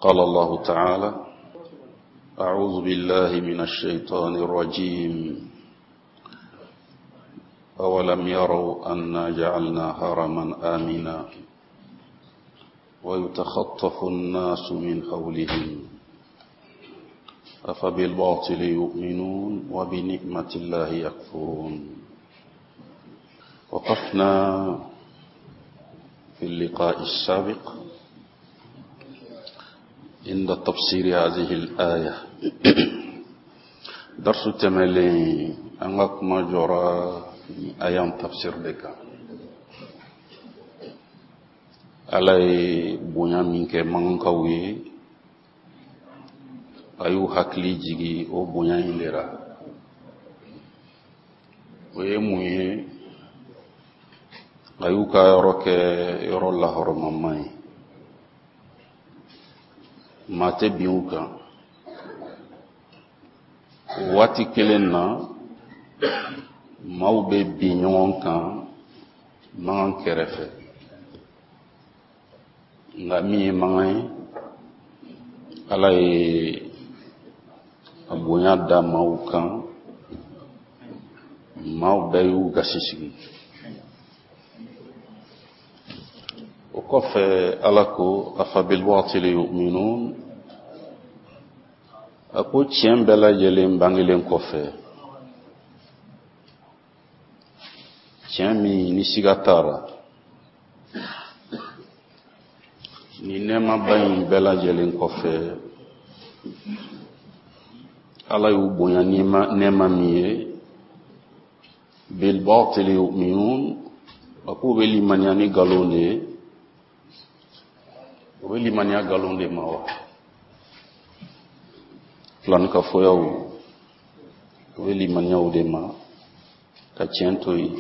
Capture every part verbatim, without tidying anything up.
قال الله تعالى: أعوذ بالله من الشيطان الرجيم. أولم يروا أنا جعلنا حرما آمنا ويتخطف الناس من حولهم أفبالباطل يؤمنون وبنعمة الله يكفرون. وقفنا في اللقاء السابق عند تفسير هذه الآية. درس التملي أنك ما جرى أيام تفسير لك Ala ye bonya min kɛ mankankaw ye, a y'u hakili jigi o bonya in de la. O ye mun ye? A y'u ka yɔrɔ kɛ yɔrɔ lahɔrɔmama ye, maa tɛ bin u kan. O waati kelen na, maaw bɛ bin ɲɔgɔn kan mankan kɛrɛfɛ, nka min ye mankan ye, Ala ye a bonya da maaw kan, maaw bɛɛ y'u gasi sigi. O kɔfɛ Ala ko: afabilbatili yu'minun. A ko tiɲɛ bɛɛ lajɛlen bangelen kɔfɛ, tiɲɛ min ni siga t'a la, ni nɛɛmaba in bɛɛ lajɛlen kɔfɛ, Ala y'u bonya nɛɛma min ye, bilbatili yu'minun, a k'u bɛ limaniya ni nkalon de ye. U bɛ limaniya nkalon de ma wa? Filankafoyaw, u bɛ limaniya o de ma ka tiɲɛ to yen.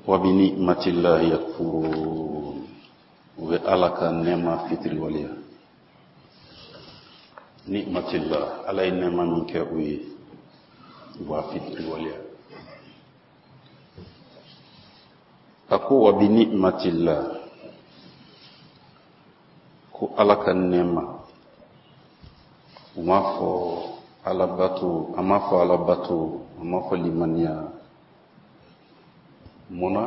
Wa bi ni'matillahi yakfurun, u bɛ Ala ka nɛɛma fitiriwaleya. Ni'matillah, Ala ye nɛɛma min kɛ u ye, u b'a fitiriwaleya. A ko wa bi ni'matillah, ko Ala ka nɛɛma. U m'a fɔ Ala bato, a m'a fɔ Ala bato, a m'a fɔ limaniya. Mun na?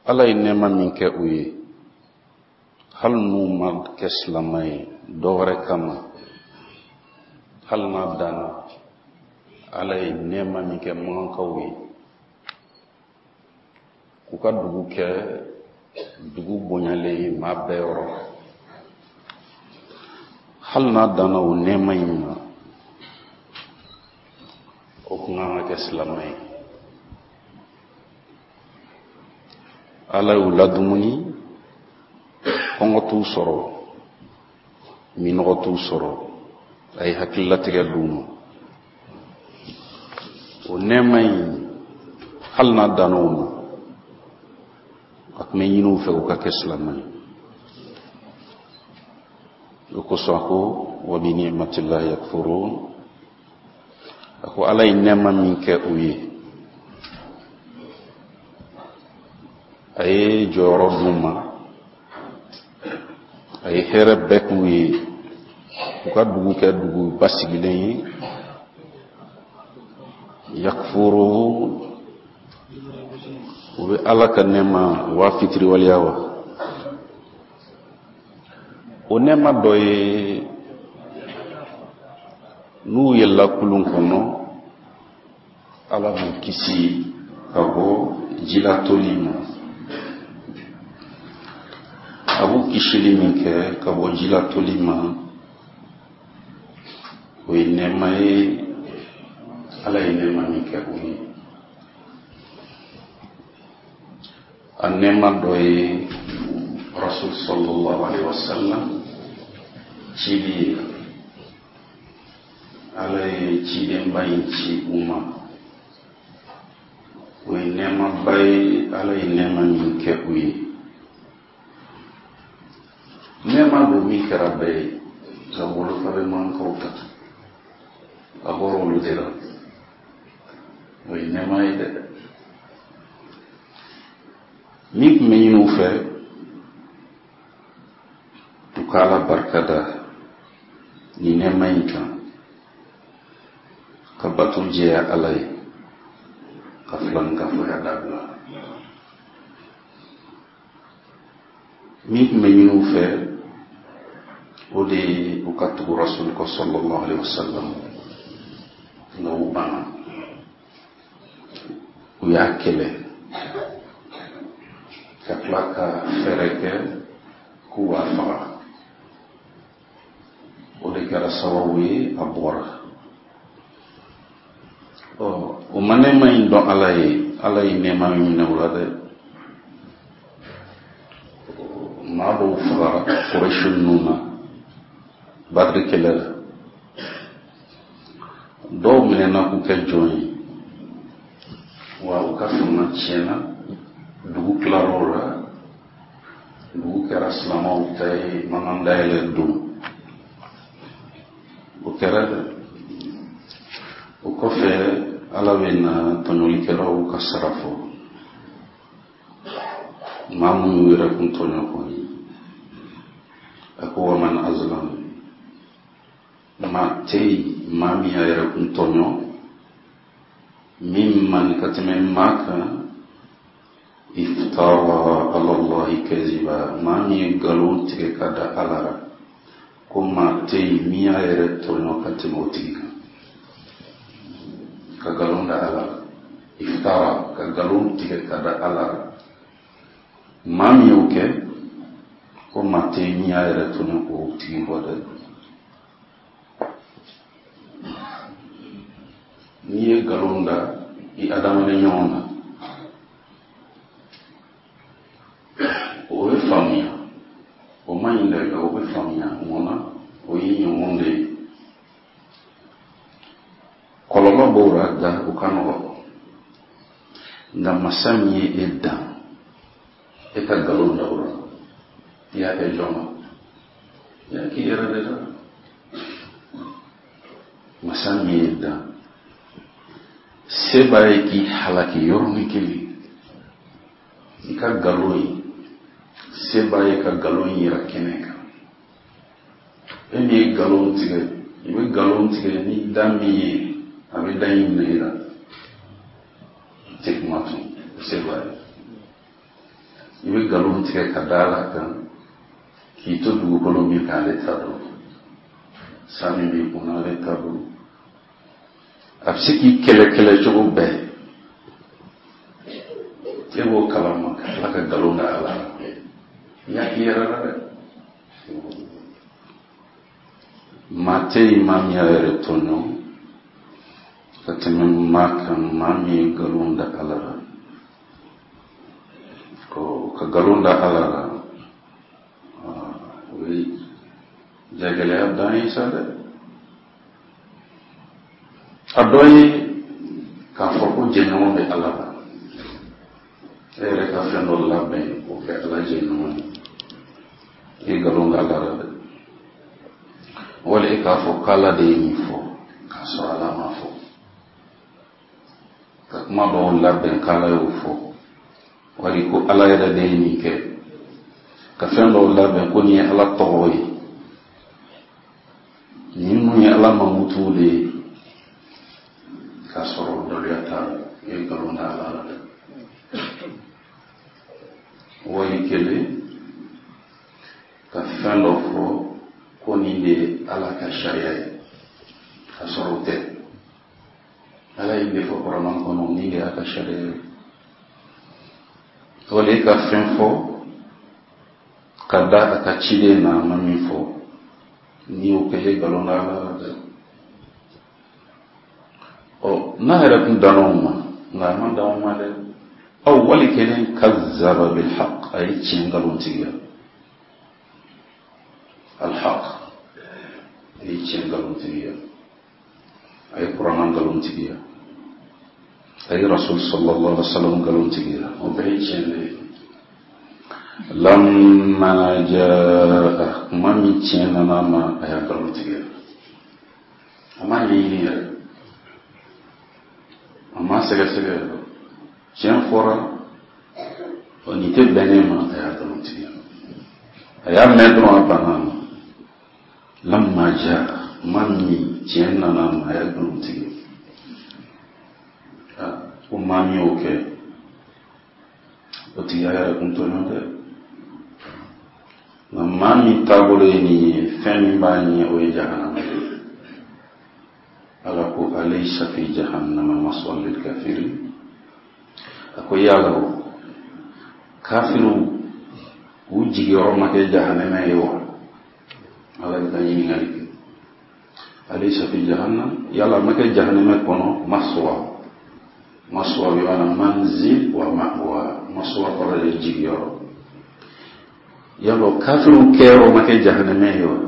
Ala ye nɛɛma min kɛ u ye, hali n'u ma kɛ silamɛ ye dɔ wɛrɛ kama, hali n'a danna Ala ye nɛɛma min kɛ mankankaw ye, k'u ka dugu kɛ dugu bonyalen ye maa bɛɛ yɔrɔ, hali n'a danna o nɛɛma in ma, o kun kan ka kɛ silamɛ ye. Ala y'u ladumuni, kɔngɔ t'u sɔrɔ, minɔgɔ t'u sɔrɔ, a ye hakililatigɛ d'u ma. O nɛɛma in, hali n'a danna o ma, a tun bɛ ɲini u fɛ u ka kɛ silamɛ ye. O kosɔn a ko wa bi ni'matillahi yakfurun. A ko Ala ye nɛɛma min kɛ u ye, a ye jɔyɔrɔ d'u ma, a ye hɛrɛ bɛɛ k'u ye, u ka dugu kɛ dugu basigilen ye. Yakfurun, u bɛ Ala ka nɛɛma u b'a fitiriwaleya wa? O nɛɛma dɔ ye, n'u yɛlɛla kulun kɔnɔ, Ala b'u kisi ka bɔ jilatoli ma. A b'u kisili min kɛ ka bɔ jilatoli ma, o ye nɛɛma ye, Ala ye nɛɛma min kɛ u ye. A nɛɛma dɔ ye Rasul sallallahu alaihi wasallam cili ye. Ala ye cidenba in ci u ma, o ye nɛɛmaba ye, Ala ye nɛɛma min kɛ u ye. Nɛɛma don min kɛra bɛɛ ye, nka wolofa bɛ mankaw ta, a bɔra olu de la. O ye nɛɛma ye dɛ. Min tun bɛ ɲini u fɛ, ka Ala barika da nin nɛɛma in kan, ka bato jɛya Ala ye, ka filankafoya dabila. Min tun bɛ ɲini u fɛ, o de ye u ka tugu Rasul kɔ sallallahu alaihi wasallam, nka u banna, u y'a kɛlɛ ka tila ka fɛɛrɛ kɛ k'u b'a faga. O de kɛra sababu ye a bɔra. Ɔ, o ma nɛɛma in dɔn Ala ye, Ala ye nɛɛma min minɛ u la dɛ. Maa dɔw fagara Kurɛsi ninnu na Badiri kɛlɛ la, dɔw minɛna k'u kɛ jɔn ye, wa u ka fanga tiɲɛna, dugu tilar'o la, dugu kɛra silamɛw ta ye, mankan dayɛlɛ don o kɛra dɛ. O kɔfɛ Ala bɛ na tɔɲɔlikɛlaw ka sara fɔ, maa minnu yɛrɛ kun tɔɲɔ kɔni. A ko wa man azlam, maa tɛ yen maa min y'a yɛrɛ kun tɔɲɔ min man ka tɛmɛ maa kan, iftara ala Allahi kaziba, maa min ye nkalon tigɛ ka da Ala la, ko maa tɛ yen min y'a yɛrɛ tɔɲɔ ka tɛmɛ o tigi kan, ka nkalon da Ala la. Iftara, ka nkalon tigɛ ka da Ala la, maa min y'o kɛ, ko maa tɛ yen min y'a yɛrɛ tɔɲɔ k'o tigi bɔ dɛ. N'i ye nkalon da i adamaden ɲɔgɔn na, o bɛ faamuya, o man ɲi dɛ, nka o bɛ faamuya. Mun na? O y'i ɲɔgɔn de ye. Kɔlɔlɔ b'o la, nka o ka nɔgɔn. Nka masa min ye e dan, e ka nkalon da o la, i y'a kɛ jɔn ma? I y'a k'i yɛrɛ de la. Masa min ye dan, se b'a ye k'i halaki yɔrɔnin kelen. I ka nkalon ye, se b'a ye ka nkalon yira kɛnɛ kan. E min ye nkalon tigɛ, i bɛ nkalon tigɛ ni da min ye, a bɛ da in minɛ i la, i tɛ kuma tun, se b'a ye. I bɛ nkalon tigɛ ka da Ala kan k'i to dugukolo min kan, ale ta don, san min b'i kunna, ale ta don. A bɛ se k'i kɛlɛ kɛlɛ cogo bɛɛ, e b'o kalama ka tila ka nkalon da Ala la. I y'a k'i yɛrɛ la dɛ. Maa tɛ yen maa min y'a yɛrɛ tɔɲɔ ka tɛmɛ maa kan, maa min ye nkalon da Ala la. Ko ka nkalon da Ala la, o ye jagɛlɛya dan ye sa dɛ. A dɔ ye k'a fɔ ko jɛɲɔgɔn bɛ Ala la, e yɛrɛ ka fɛn dɔ labɛn k'o kɛ Ala jɛɲɔgɔn ye, i ye nkalon da Ala la dɛ. Wali e k'a fɔ k'Ala de ye nin fɔ k'a sɔrɔ Ala m'a fɔ, ka kuma dɔw labɛn k'Ala y'o fɔ, wali ko Ala yɛrɛ de ye nin kɛ, ka fɛn dɔw labɛn ko nin ye Ala tɔgɔ ye, nin ninnu ye Ala mankutuw de ye, k'a sɔrɔ daluya t'a la, i ye nkalon da Ala la dɛ. Wali kelen ka fɛn dɔ fɔ ko nin de ye Ala ka sariya ye, k'a sɔrɔ o tɛ. Ala ye nin de fɔ Kuranɛ kɔnɔ, nin de y'a ka sariya ye. Wali e ka fɛn fɔ ka da a ka ciden na, a ma min fɔ, n'i y'o kɛ, i ye nkalon da Ala la dɛ. Ɔ, n'a yɛrɛ kun danna o ma, nka a ma dan o ma dɛ. Aw wali kelen kazzaba bil haqq, a ye tiɲɛ nkalon tigiya. Al haqq, a ye tiɲɛ nkalon tigiya, a ye Kuranɛ nkalon tigiya, a ye Rasul sallallahu alaihi wasallam nkalon tigiya, o bɛɛ ye tiɲɛ de ye. Lamma jaa, kuma min tiɲɛ nana a ma, a y'a nkalon tigiya, a ma ɲɛɲini yɛrɛ, a ma sɛgɛsɛgɛ yɛrɛ. Tiɲɛ fɔra, nin tɛ bɛn ne ma, a y'a nkalon tigɛ. A y'a mɛn dɔrɔn, a banna a ma. Lamma jaa, maa min tiɲɛ nana ma, a y'a nkalon tigɛ. Ko maa min y'o kɛ, o tigi y'a yɛrɛ kun tɔɲɔ dɛ. Nka maa min taabolo ye nin ye, fɛn min b'a ɲɛ, o ye jahanama ye. Ala ko alaysa fi jahannama maswan lil kafirin. A ko yala o kafiriw u jigiyɔrɔ ma kɛ jahanama ye wa? Ala bɛ ka ɲininkali kɛ. Alaysa fi jahannam, yala ma kɛ jahanama kɔnɔ maswa. Maswa bi maana manzil wa ma'wa. Maswa kɔrɔ de jigiyɔrɔ. Yala kafiriw kɛyɔrɔ ma kɛ jahanama ye wa?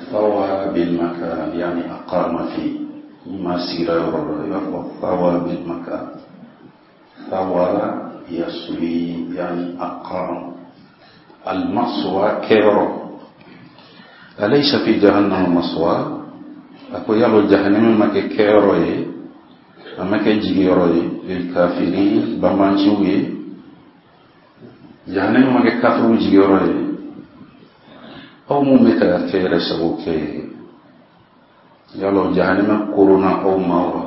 Thawa bil makan, yani aqama fi. Ni maa sigira yɔrɔ dɔ la, i b'a fɔ thawa bil makan. Thawa yaswi, yani aqama. Al maswa kɛyɔrɔ. Alaysa fi jahannama maswa. A ko yala jahanama ma kɛ kɛyɔrɔ ye, a ma kɛ jigiyɔrɔ ye lil kafirin, banbanciw ye. Jahanama ma kɛ kafiriw jigiyɔrɔ ye. Aw mun bɛ ka kɛ yɛrɛ sago kɛ, yala jahanama korona aw ma wa?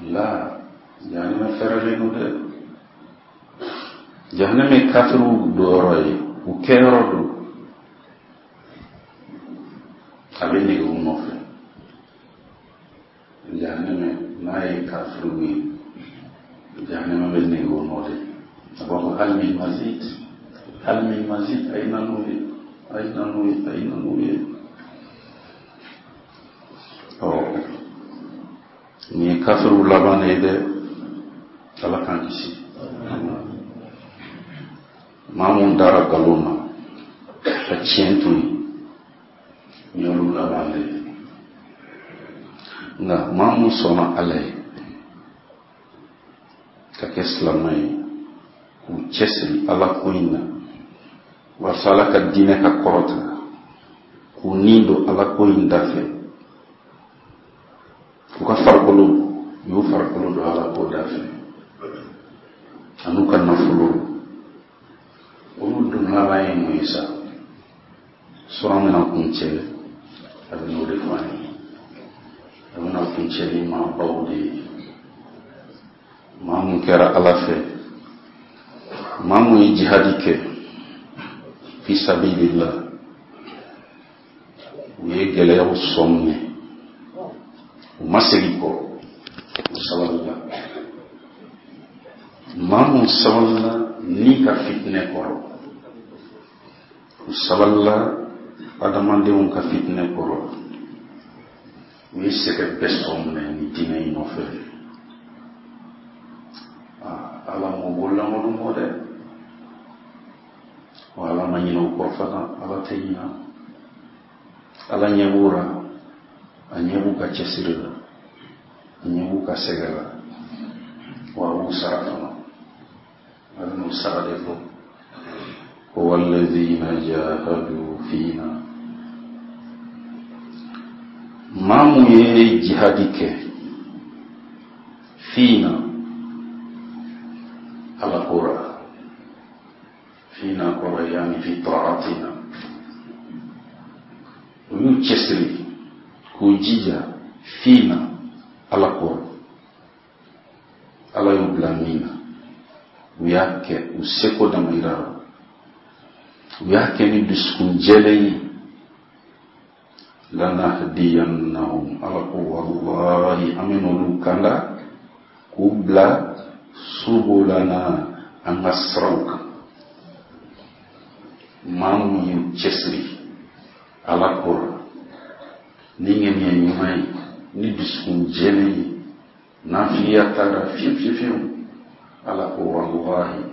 La, jahanama fɛrɛlen don dɛ. Jahanama ye kafiriw donyɔrɔ ye, u kɛyɔrɔ don. A bɛ nege u nɔfɛ. Jahanama n'a ye kafiriw ye, jahanama bɛ nege u nɔ de. A b'a fɔ hal min mazid, hal min mazid, a ye na n'u ye, a ye na n'u ye, a ye na n'u ye. Ɔ, nin ye kafiriw laban de ye dɛ. Ala k'an kisi. Maa mun dara nkalon na ka tiɲɛ to yen, nin y'olu laban de ye. Nka maa mun sɔnna Ala ye ka kɛ silamɛ ye, k'u cɛsiri Ala ko in na walasa Ala ka diinɛ ka kɔrɔta, k'u ni don Ala ko in da fɛ, k'u ka farikolo, u y'u farikolo don Ala ko da fɛ, an'u ka nafolo, olu dun laban ye mun ye sa? Sura bɛna kuncɛ, a bɛ n'o de fɔ an ye. A bɛna kuncɛ ni maabaw de ye, maa mun kɛra Ala fɛ, maa mun ye jihadi kɛ fi sabilillah, u ye gɛlɛyaw sɔn minɛ, u ma segin kɔ, u sabalila. Maa mun sabalila ni ka fitinɛ kɔrɔ, u sabalila adamadenw ka fitinɛ kɔrɔ, u ye sɛgɛn bɛɛ sɔn minɛ ni diinɛ in nɔfɛ. Ala m'o bololankolon bɔ dɛ. Wa Ala ma ɲinɛ u kɔ fana, Ala tɛ ɲinɛ. Ala ɲɛ b'u la, a ɲɛ b'u ka cɛsiri la, a ɲɛ b'u ka sɛgɛ la, wa a b'u sara fana. A bɛ n'u sara de fɔ. Ko walladhina jahadu fina, maa mun ye jihadi kɛ fina, Ala ko la, fina kɔrɔ yani fi ta'atina, u y'u cɛsiri k'u jija fina Ala ko, Ala y'u bila min na, u y'a kɛ u seko damayira la, u y'a kɛ ni dusukun jɛlen ye. Lanahdiyannahum, Ala ko wallahi an bɛ n'olu kanda k'u bila subulana, an ka siraw kan. Maa mun y'u cɛsiri Ala ko la ni ŋaniya ɲuman ye, ni dusukun jɛlen ye, nafigiya t'a la fiyewu fiyewu fiyewu, Ala ko wallahi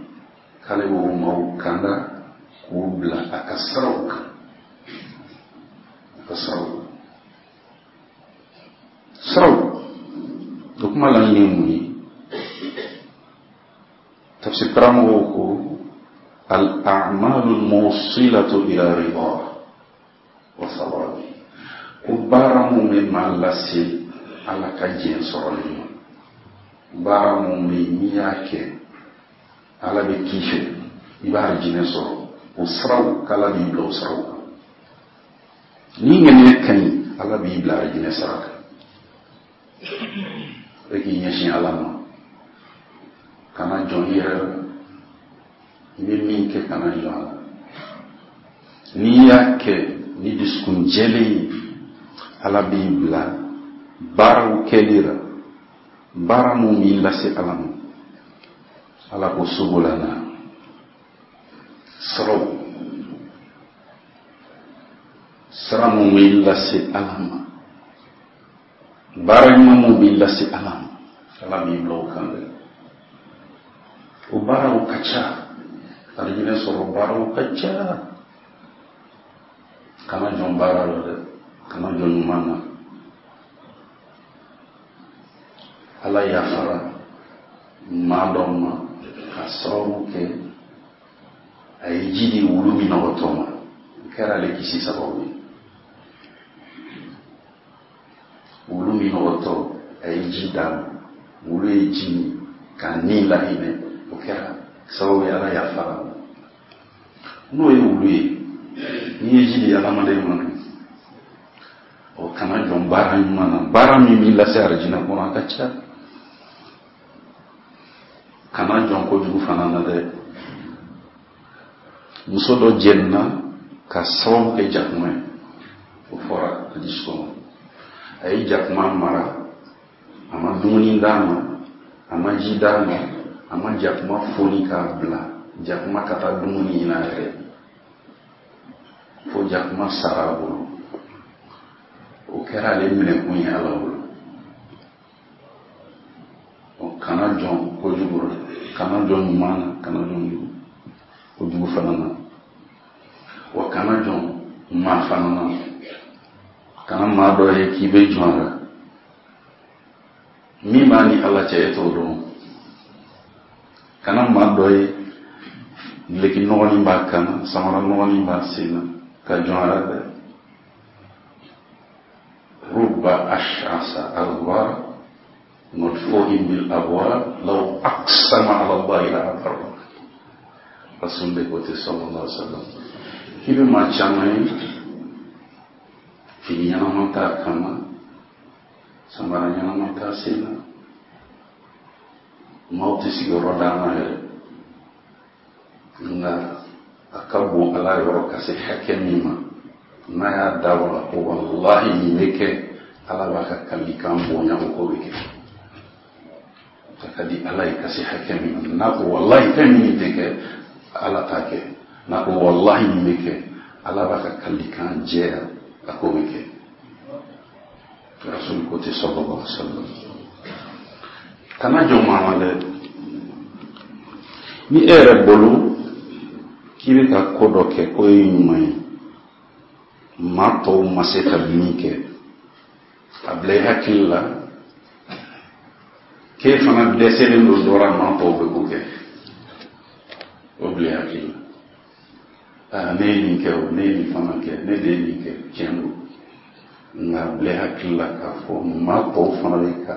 k'ale b'o maaw kanda k'u bila a ka siraw kan, a ka siraw kan. Siraw o kuma laɲini ye mun ye? Tafsir karamɔgɔw ko al-a'malu al-mawsilatu ila ridha wa thawabi, ko baara mun bɛ maa lase Ala ka diɲɛ sɔrɔli ma, baara mun bɛ yen n'i y'a kɛ Ala bɛ k'i fɛ, i b'a jinɛ sɔrɔ, o siraw k'Ala b'i bila o siraw kan. Ni ŋaniya ka ɲi, Ala b'i bila arijinɛ sira kan. E k'i ɲɛsin Ala ma, kana jɔn i yɛrɛ la. I bɛ min kɛ, kana jɔn a la. N'i y'a kɛ ni dusukun jɛlen ye, Ala b'i bila baaraw kɛli la, baara mun b'i lase Ala ma. Ala ko subulana, siraw, sira mun b'i lase Ala ma, baara ɲuman mun b'i lase Ala ma, Ala b'i bila o kan dɛ. O baaraw ka ca, arijinɛ sɔrɔ baaraw ka ca. Kana jɔn baara la dɛ, kana jɔn ɲuman na. Ala yafara maa dɔ ma ka sababu kɛ a ye ji di wulu minɔgɔtɔ ma, o kɛra ale kisi sababu ye. Wulu minɔgɔtɔ, a ye ji d'a ma, wulu ye ji min k'a ni lahinɛ, o kɛra sababu ye, Ala yafara ma. N'o ye wulu ye, n'i ye ji di adamaden ma dun, o kana jɔn baara ɲuman na. Baara min b'i lase arijinɛ kɔnɔ, a ka ca. Kana jɔn kojugu fana na dɛ. Muso dɔ jɛnina ka sababu kɛ jakuma ye, o fɔra hadisi kɔnɔ. A ye jakuma mara, a ma dumuni d'a ma, a ma ji d'a ma, a ma jakuma foni k'a bila jakuma ka taa dumuni ɲini a yɛrɛ, fo jakuma sara a bolo. O kɛra ale minɛkun ye Ala bolo. O kana jɔn kojugu la, kana jɔn ɲuman na, kana jɔn kojugu fana na, wa kana jɔn maa fana na. Kana maa dɔ ye k'i bɛ jɔn a la, min b'a ni Ala cɛ, e t'o dɔn. Kana maa dɔ ye duloki nɔgɔnin b'a kan na, samara nɔgɔnin b'a sen na, ka jɔn a la dɛ. Rubba ash'asa aghbara madfu'in bil abwab law aqsama ala Allahi la abarra. Rasul de ko ten sallallahu alaihi wasallam, k'i bɛ maa caman ye, fini ɲɛnama t'a kan na, samara ɲɛnama t'a sen na, maaw tɛ sigiyɔrɔ d'a ma yɛrɛ, nka a ka bon Ala yɔrɔ ka se hakɛ min ma, n'a y'a dabɔ la ko walahi nin bɛ kɛ, Ala b'a ka kalikan bonya, o ko bɛ kɛ. A ka di Ala ye ka se hakɛ min ma, n'a ko walahi fɛn min tɛ kɛ, Ala t'a kɛ. N'a ko walahi nin bɛ kɛ, Ala b'a ka kalikan jɛya, a ko bɛ kɛ. Rasul ko ten sallallahu alaihi wasallam. Kana jɔn maa ma dɛ. Ni e yɛrɛ bolo k'i bɛ ka ko dɔ kɛ k'o ye ɲuman ye, maa tɔw ma se ka min kɛ, a bila i hakili la k'e fana dɛsɛlen don dɔ la, maa tɔw bɛ k'o kɛ, o bila i hakili la. Aa, ne ye nin kɛ o, ne ye nin fana kɛ, ne de ye nin kɛ, tiɲɛ don. Nka bila i hakili la k'a fɔ maa tɔw fana bɛ ka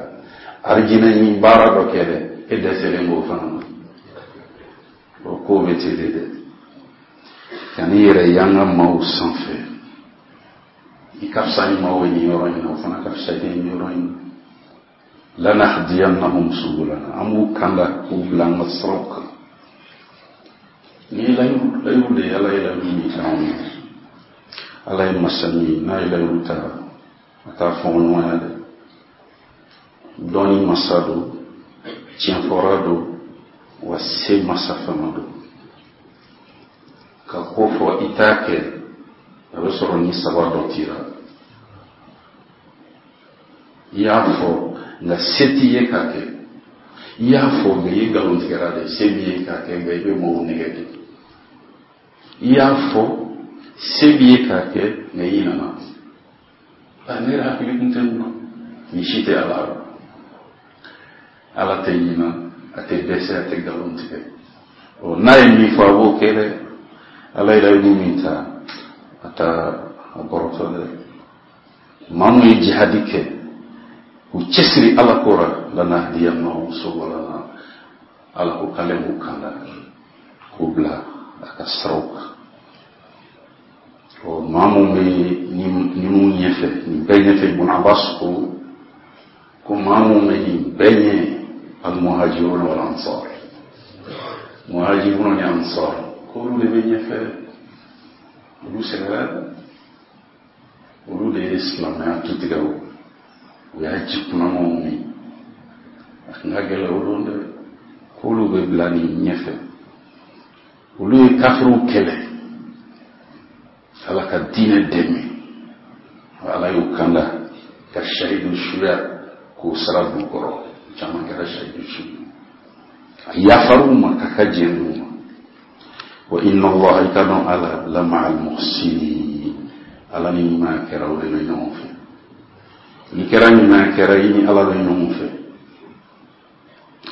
arijinɛ ɲini baara dɔ kɛ dɛ, e dɛsɛlen b'o fana na. O ko bɛ ten de dɛ. Kan'i yɛrɛ yanga maaw sanfɛ. I ka fisa ni maaw ye nin yɔrɔ in na, o fana ka fisa i ye nin yɔrɔ in na. Lanahdiyannahum subulana, an b'u kanda k'u bila an ka siraw kan. Ni layiru, layiru de ye, Ala ye layiru min ta anw ye. Ala ye masa min ye, n'a ye layiru ta, a t'a fɔɲɔgɔnya dɛ. Dɔnni masa don, tiɲɛfɔra don, wa se masa fana don. Ka ko fɔ i t'a kɛ, a bɛ sɔrɔ ni saba dɔ t'i la. I y'a fɔ nka se t'i ye k'a kɛ. I y'a fɔ nka i ye nkalon tigɛra de, se b'i ye k'a kɛ nka i bɛ mɔgɔw nɛgɛ de. I y'a fɔ se b'i ye k'a kɛ nka i ɲinɛna. A ne yɛrɛ hakili kun tɛ nin na. Nin si tɛ Ala la. Ala tɛ ɲinɛ, a tɛ dɛsɛ, a tɛ nkalon tigɛ. Ɔ, n'a ye min fɔ, a b'o kɛ dɛ. Ala ye layidu min ta, a t'a a bɔrɔtɔ dɛ. Maa mun ye jihadi kɛ k'u cɛsiri Ala ko la, lanahdiyannahum subulana, Ala ko k'ale b'u kanda k'u bila a ka siraw kan. Ɔ, maa mun bɛ ninnu ɲɛfɛ, nin bɛɛ ɲɛfɛ, Ibn Abbas ko ko maa mun bɛ nin bɛɛ ɲɛ, al-muhajirun wal ansar, muhajirun ni ansar, k'olu de bɛ ɲɛfɛ. Olu sɛgɛrɛ, olu de ye silamɛya tutigɛ. O u y'a ji kunnamaw min, a tun ka gɛlɛn o don dɛ. K'olu bɛ bila nin ɲɛfɛ. Olu ye kafiriw kɛlɛ, Ala ka diinɛ dɛmɛ. Ala y'u kanda ka shahidu suya k'o sara b'u kɔrɔ. Caman kɛra shahidu su, a yafar'u ma ka ka diɲɛ d'u ma. Wa inna Allaha, i ka dɔn Ala, la ma'al muhsinin, Ala ni ɲuman kɛra o de bɛ ɲɔgɔn fɛ. N'i kɛra ɲuman kɛra, i ni Ala bɛ ɲɔgɔn fɛ.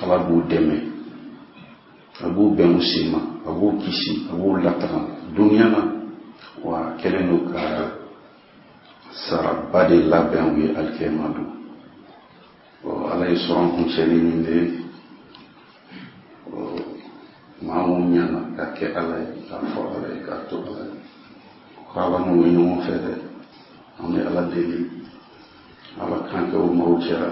Ala b'u dɛmɛ, a b'u bɛn u sen ma, a b'u kisi, a b'u latanga duniya na. Wa kɛlen don ka saraba de labɛn u ye alikiyama don. Ala ye sɔrɔ an kuncɛli min de ye, maa mun ɲana ka kɛ Ala ye, k'a fɔ Ala ye, k'a to Ala ye, ko Ala n'u bɛ ɲɔgɔn fɛ dɛ. An bɛ Ala deli, Ala k'an kɛ o maaw cɛla.